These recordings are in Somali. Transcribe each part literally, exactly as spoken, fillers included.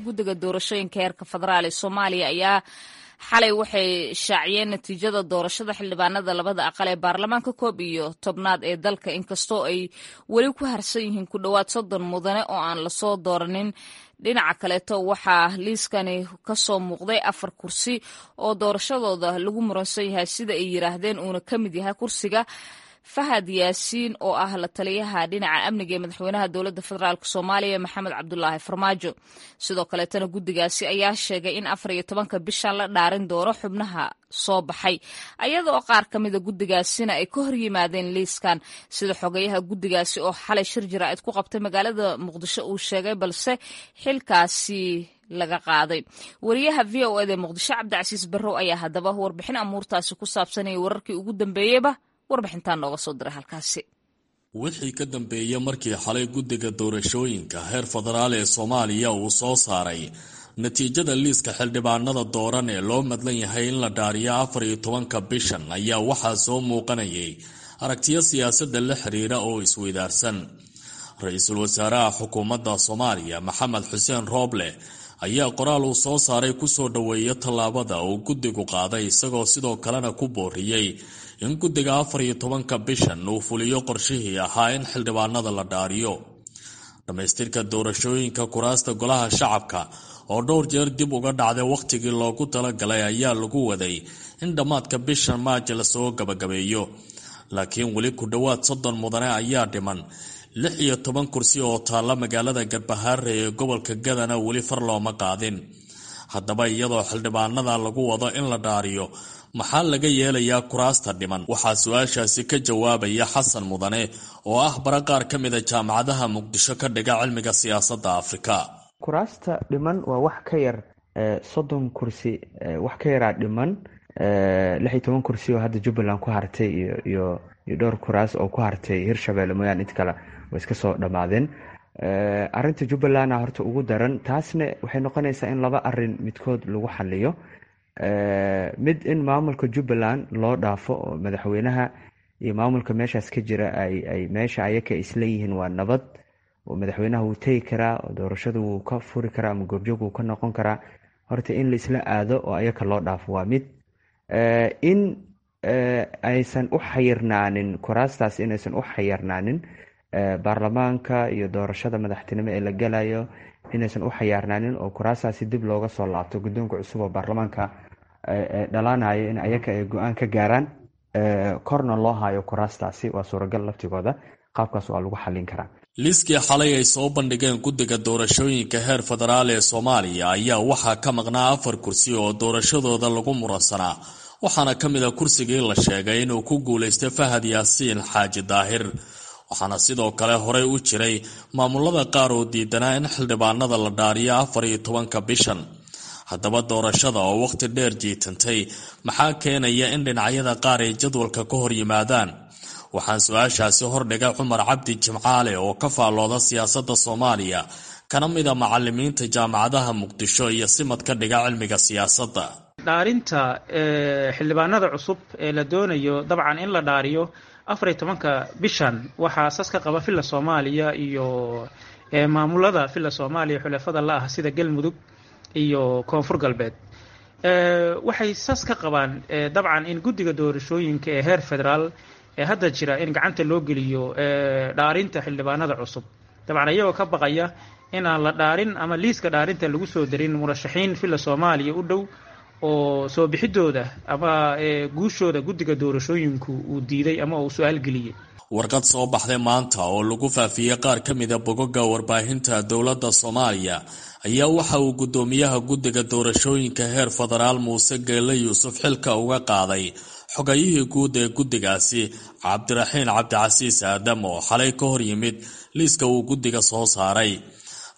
Guddiga doorashooyinka heerka federaal ee Soomaaliya ayaa xalay waxay shaaciyeen natiijada doorashada xildhibaanada labada aqal ee baarlamaanka koob iyo tobnaad ee dalka, inkastoo ay weli ku harsan yihiin ku dhowaad soddon mudane oo aan lasoo dooranin. Dhinaca kaleeto waxaa liiskani kasoo muuqday afar kursi oo doorashadooda lagu muransan yahay, sida ay yiraahdeen uuna ka mid yahay kursiga Fahad Yaasiin oo ah la taliyaha dhinaca amniga ee madaxweynaha dowladda federaalk Soomaaliya Maxamed Cabdulaahi Farmaajo. Sidoo kaleetana guddigaasi ayaa sheegay in afar iyo tobanka bishan la dhaarin doono xubnaha soo baxay, ayadoo qaar ka mida guddigaasina ay ka hor yimaadeen liiskan, sida xogayaha guddigaasi oo xalay shir jaraa'id ku qabtay magaalada Muqdisho uu sheegay, balse xilkaasi laga qaaday. Wariyaha V O eda Muqdisho Cabdicasiis Barrow ayaa haddaba warbixin amuurtaasi ku saabsanaya wararkii ugu dambeeyeyba warbixintaan nooga soo diray halkaasi. Wixii ka dambeeyey markii xalay guddiga doorashooyinka heer federaal ee Soomaaliya uu soo saaray natiijada liiska xildhibaanada dooran ee loo madlan yahay in la dhaariyo afar iyo tobanka bishan, ayaa waxaa soo muuqanayay aragtiyo siyaasadda la xiriira oo isweydaarsan. Ra-iisul wasaaraha xukuumadda Soomaaliya Maxamed Xuseen Rooble ayaa qoraal uu soo saaray kusoo dhoweeya tallaabada uu guddigu qaaday, isagoo sidoo kalena ku booriyey in guddiga afar iyo tobanka bishan uu fuliyo qorshihii ahaa in xildhibaanada la dhaariyo. Dhammaystirka doorashooyinka kuraasta golaha shacabka oo dhowr jeer dib uga dhacday wakhtigii loogu talagalay ayaa lagu waday in dhammaadka bishan Maaji lasoo gabagabeeyo, laakiin weli ku dhowaad soddon mudane ayaa dhiman. Lix iyo toban kursi oo taalla magaalada Garbahaare ee gobolka Gadana weli far looma qaadin. Haddaba iyadoo xildhibaanada lagu wado in la dhaariyo, maxaa laga yeelayaa kuraasta dhiman? Waxaa su-aashaasi ka jawaabaya Xasan Mudane oo ah bara qaar ka mida jaamacadaha Muqdisho ka dhiga cilmiga siyaasadda Afrika. Kuraasta dhiman waa wax ka yar soddon kursi, wax ka yaraa dhiman, lix iyo toban kursi oo hadda Jubbaland ku hartay iyo iyo iyo dhowr kuraas oo ku hartay Hirshabelle mooyaane, int kale way iska soo dhammaadeen. Arinta Jubbalandna horta ugu daran, taasna waxay noqonaysaa in laba arin midkood lagu xaliyo. Mid, in maamulka Jubbaland loo dhaafo oo madaxweynaha iyo maamulka meeshaas ka jira ay ay meesha ayaka isleeyihiin waa nabad, oo madaxweynaha wuu tegi karaa oo doorashada wuu ka furi karaa ama goobjoog wuu ka noqon karaa. Horta in la isla aado oo ayaka loo dhaafo waa mid. In aysan u xayirnaanin kuraastaas, inaysan u xayirnaanin baarlamaanka iyo doorashada madaxtinimo ee la galayo, inaysan u xayaarnaanin oo kuraastaasi dib looga soo laabto guddoonka cusub oo baarlamaanka dhalaanayo in ayaka ay go-aan ka gaaraan, korna loo hayo kuraastaasi waa suuragal laftigooda, qaabkaas waa lagu xallin karaa. Liiskii xalay ay soo bandhigeen guddiga doorashooyinka heer federaal ee Soomaaliya ayaa waxaa ka maqnaa afar kursi oo doorashadooda lagu muransanaa, waxaana ka mid a kursigii la sheegay inuu ku guulaystay Fahad Yaasiin Xaaji Daahir. Waxaana sidoo kale horey u jiray maamulada qaar oo diidanaa in xildhibaanada la dhaariyo afar iyo tobanka bishan. Haddaba doorashada oo wakhti dheer jiitantay, maxaa keenaya in dhinacyada qaar ay jadwalka ka hor yimaadaan? Waxaan su-aashaasi hordhigay Cumar Cabdi Jimcaale oo ka faallooda siyaasadda Soomaaliya, kana mid a macalimiinta jaamacadaha Muqdisho iyo simad ka dhiga cilmiga siyaasadda. Dhaarinta xildhibaanada cusub ee la doonayo dabcan in la dhaariyo afar iyo tobanka bishan waxaa sas ka qaba Villa Soomaaliya iyo maamulada Villa Soomaaliya xulafada la ah sida Galmudug iyo Koonfur Galbeed. Waxay sas ka qabaan dabcan in guddiga doorashooyinka ee heer federaal ee hadda jira in gacanta loo geliyo dhaarinta xildhibaanada cusub, dabcan iyagoo ka baqaya inaan la dhaarin ama liiska dhaarinta lagu soo darin murashaxiin Villa Soomaaliya u dhow oo soo bixidooda ama guushooda guddiga doorashooyinku uu diiday ama uu su-aal geliyey. Warqad soo baxday maanta oo lagu faafiyey qaar ka mida bogoga warbaahinta dowladda Soomaaliya ayaa waxa uu guddoomiyaha guddiga doorashooyinka heer federaal Muuse Geelle Yuusuf xilka uga qaaday xogayihii guud ee guddigaasi Cabdiraxiin Cabdicasiis Aadam oo xalay ka hor yimid liiska uu guddiga soo saaray.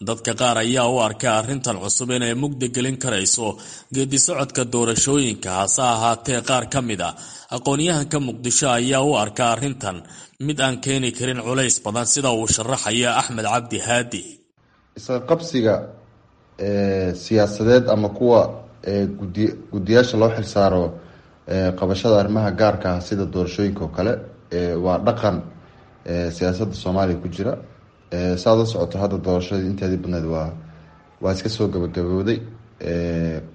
Dadka qaar ayaa u arkay arrintan cusub inay mugdi gelin karayso geedi socodka doorashooyinka, hase ahaatee qaar ka mid a aqoon-yahanka Muqdisho ayaa u arka arrintan mid aan keeni karin culays badan, sida uu sharaxaya Axmed Cabdi Haadi. Isqabsiga siyaasadeed ama kuwa gudi guddiyaasha loo xilsaaro qabashada arrimaha gaarka ah sida doorashooyinka oo kale waa dhaqan siyaasadda Soomaaliya ku jira. Saad la socoto, hadda doorashadii inteedii badneed waa Waa iska soo gabagabooday.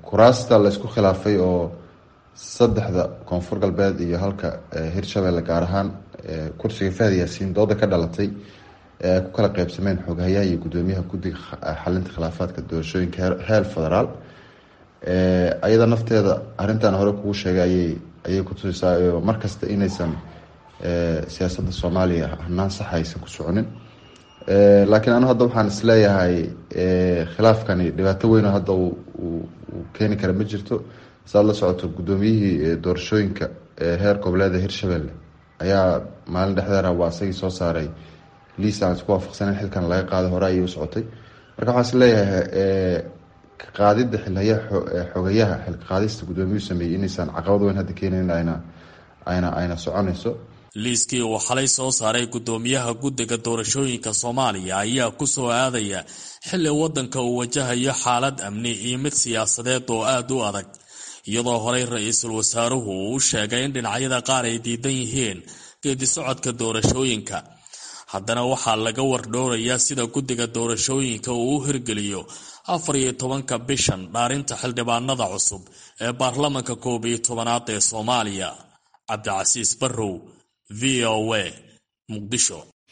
Kuraasta laysku khilaafay oo saddexda Koonfur Galbeed iyo halka Hirshabelle, gaar ahaan kursiga Fahad Yaasiin, dooda ka dhalatay ee ay ku kala qeybsameen xoghayaha iyo guddoomiyaha guddiga xalinta khilaafaadka doorashooyinka heer federaal, ayada nafteeda arrintan hore kugu sheegay ayay ayay kutusaysaa markasta inaysan siyaasadda Soomaaliya hanaan sax aysan ku soconin. Laakiin anu hadda waxaan isleeyahay khilaafkani dhibaato weyn oo hadda uu keeni kara ma jirto. Saad la socoto, guddoomiyihii doorashooyinka heer goboleeda Hirshabelle ayaa maalin dhexdeera waa isagii soo saaray liis aan isku waafaqsaneyn xilkan laga qaaday. Hore ayay u socotay. Marka waxaan isleeyahay qaadida xilhaya xogayaha, xilka qaadista guddoomiyuhu sameeyey inaysan caqabad weyn hadda keenayn, ayna ayna ayna soconayso. Liiskii uu xalay soo saaray guddoomiyaha guddiga doorashooyinka Soomaaliya ayaa ku soo aadaya xilli waddanka uu wajahayo xaalad amni iyo mid siyaasadeed oo aada u adag, iyadoo horey ra-iisul wasaaruhu uu u sheegay in dhinacyada qaar ay diidan yihiin geedi socodka doorashooyinka. Haddana waxaa laga wardhowrayaa sida guddiga doorashooyinka uu u hirgeliyo afar iyo tobanka bishan dhaarinta xildhibaanada cusub ee baarlamanka koob iyo tobanaad ee Soomaaliya. Cabdicasiis Barrow, V O A, Muqdisho.